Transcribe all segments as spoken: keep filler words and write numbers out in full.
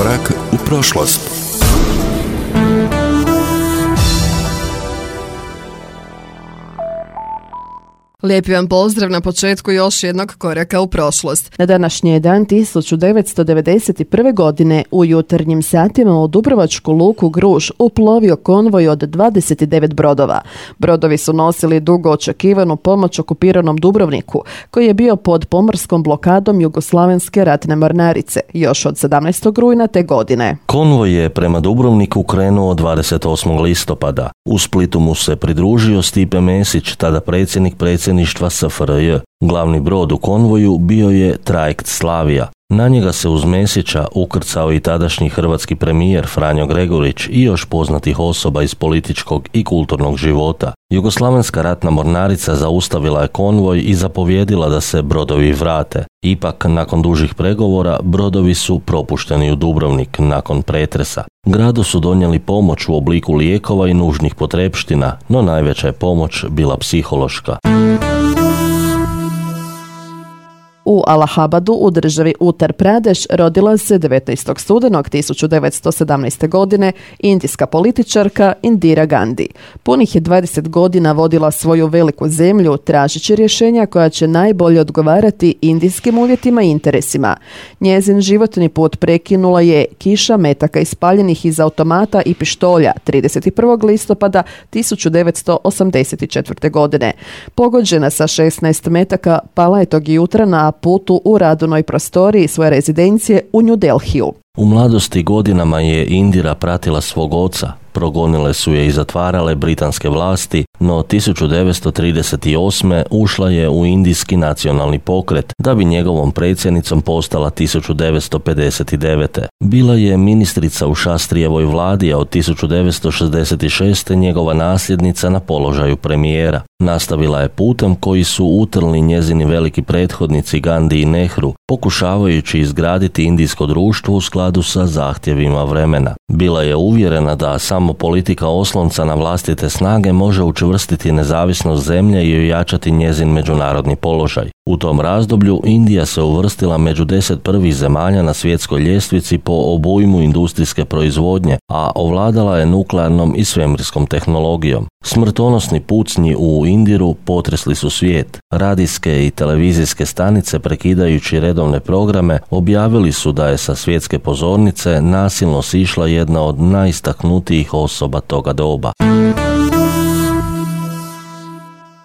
Korak u prošlost. Lijepi vam pozdrav na početku još jednog koraka u prošlost. Na današnji je dan tisuću devetsto devedeset prve. godine u jutarnjim satima u Dubrovačku luku Gruž uplovio konvoj od dvadeset devet brodova. Brodovi su nosili dugo očekivanu pomoć okupiranom Dubrovniku, koji je bio pod pomorskom blokadom Jugoslavenske ratne mornarice još od sedamnaestog rujna te godine. Konvoj je prema Dubrovniku krenuo dvadeset osmog listopada. U Splitu mu se pridružio Stipe Mesić, tada predsjednik predsjedništva S F R J. Glavni brod u konvoju bio je trajekt Slavija. Na njega se uz Mesića ukrcao i tadašnji hrvatski premijer Franjo Gregurić i još poznatih osoba iz političkog i kulturnog života. Jugoslavenska ratna mornarica zaustavila je konvoj i zapovjedila da se brodovi vrate. Ipak, nakon dužih pregovora, brodovi su propušteni u Dubrovnik nakon pretresa. Gradu su donijeli pomoć u obliku lijekova i nužnih potrepština, no najveća je pomoć bila psihološka. U Allahabadu u državi Uttar Pradeš rodila se devetnaestog studenog tisuću devetsto sedamnaeste. godine indijska političarka Indira Gandhi. Punih je dvadeset godina vodila svoju veliku zemlju tražeći rješenja koja će najbolje odgovarati indijskim uvjetima i interesima. Njezin životni put prekinula je kiša metaka ispaljenih iz automata i pištolja trideset prvog listopada tisuću devetsto osamdeset četvrte. godine. Pogođena sa šesnaest metaka, pala je tog jutra na putu u radnoj prostoriji svoje rezidencije u New Delhiju. U mladosti godinama je Indira pratila svog oca. Progonile su je i zatvarale britanske vlasti, no tisuću devetsto trideset osme. ušla je u Indijski nacionalni pokret, da bi njegovom predsjednicom postala tisuću devetsto pedeset devete. Bila je ministrica u Šastrijevoj vladi, a od tisuću devetsto šezdeset šeste. njegova nasljednica na položaju premijera. Nastavila je putem koji su utrli njezini veliki prethodnici Gandhi i Nehru, pokušavajući izgraditi indijsko društvo u skladu sa zahtjevima vremena. Bila je uvjerena da samo politika oslonca na vlastite snage može učvrstiti nezavisnost zemlje i ojačati njezin međunarodni položaj. U tom razdoblju Indija se uvrstila među deset prvih zemalja na svjetskoj ljestvici po obujmu industrijske proizvodnje, a ovladala je nuklearnom i svemirskom tehnologijom. Smrtonosni pucnji u Indiru potresli su svijet. Radijske i televizijske stanice, prekidajući redovne programe, objavili su da je sa svjetske pozornice nasilno sišla jedna od najistaknutijih osoba toga doba.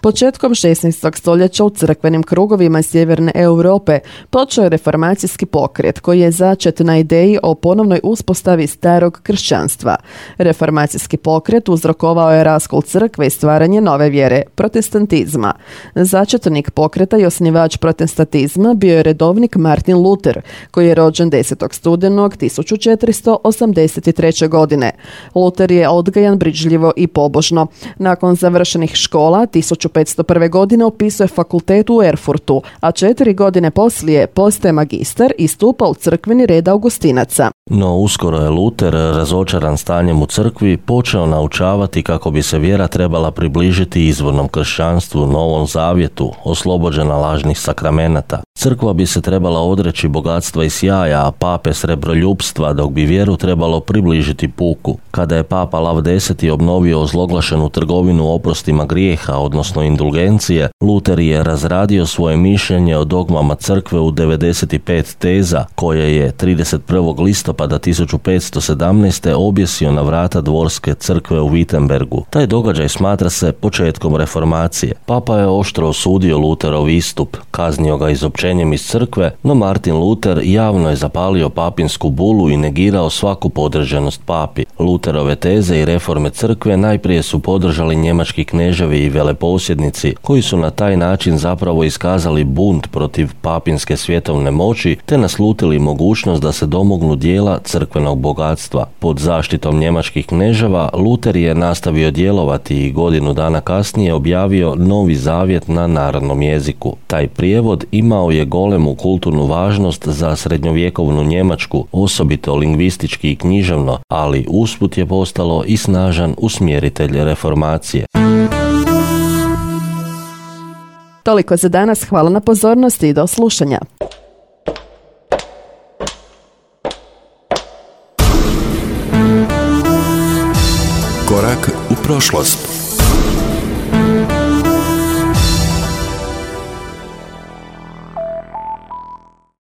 Početkom šesnaestog. stoljeća u crkvenim krugovima sjeverne Europe počeo je reformacijski pokret koji je začet na ideji o ponovnoj uspostavi starog kršćanstva. Reformacijski pokret uzrokovao je raskol crkve i stvaranje nove vjere, protestantizma. Začetnik pokreta i osnivač protestantizma bio je redovnik Martin Luther, koji je rođen desetog studenog tisuću četiristo osamdeset treće. godine. Luther je odgajan brižljivo i pobožno. Nakon završenih škola tisuću petsto prve. godine upisuje fakultet u Erfurtu, a četiri godine poslije postaje magistar i stupa u crkveni red Augustinaca. No uskoro je Luther, razočaran stanjem u crkvi, počeo naučavati kako bi se vjera trebala približiti izvornom kršćanstvu, Novom zavjetu, oslobođena lažnih sakramenata. Crkva bi se trebala odreći bogatstva i sjaja, a pape srebroljupstva, dok bi vjeru trebalo približiti puku. Kada je papa Lav deseti. obnovio ozloglašenu trgovinu oprostima grijeha, odnosno indulgencije, Luther je razradio svoje mišljenje o dogmama crkve u devedeset pet teza, koje je trideset prvog listopada tisuću petsto sedamnaeste. objesio na vrata dvorske crkve u Wittenbergu. Taj događaj smatra se početkom reformacije. Papa je oštro osudio Lutherov istup, kaznio ga izopćenjem iz crkve, no Martin Luther javno je zapalio papinsku bulu i negirao svaku podređenost papi. Lutherove teze i reforme crkve najprije su podržali njemački kneževi i veleposjednici, koji su na taj način zapravo iskazali bunt protiv papinske svjetovne moći te naslutili mogućnost da se domognu dijela crkvenog bogatstva. Pod zaštitom njemačkih kneževa Luther je nastavio djelovati i godinu dana kasnije objavio Novi zavjet na narodnom jeziku. Taj prijevod imao je golemu kulturnu važnost za srednjovjekovnu Njemačku, osobito lingvistički i književno, ali usput je postalo i snažan usmjeritelj reformacije. Toliko za danas, hvala na pozornosti i do slušanja. Korak u prošlost.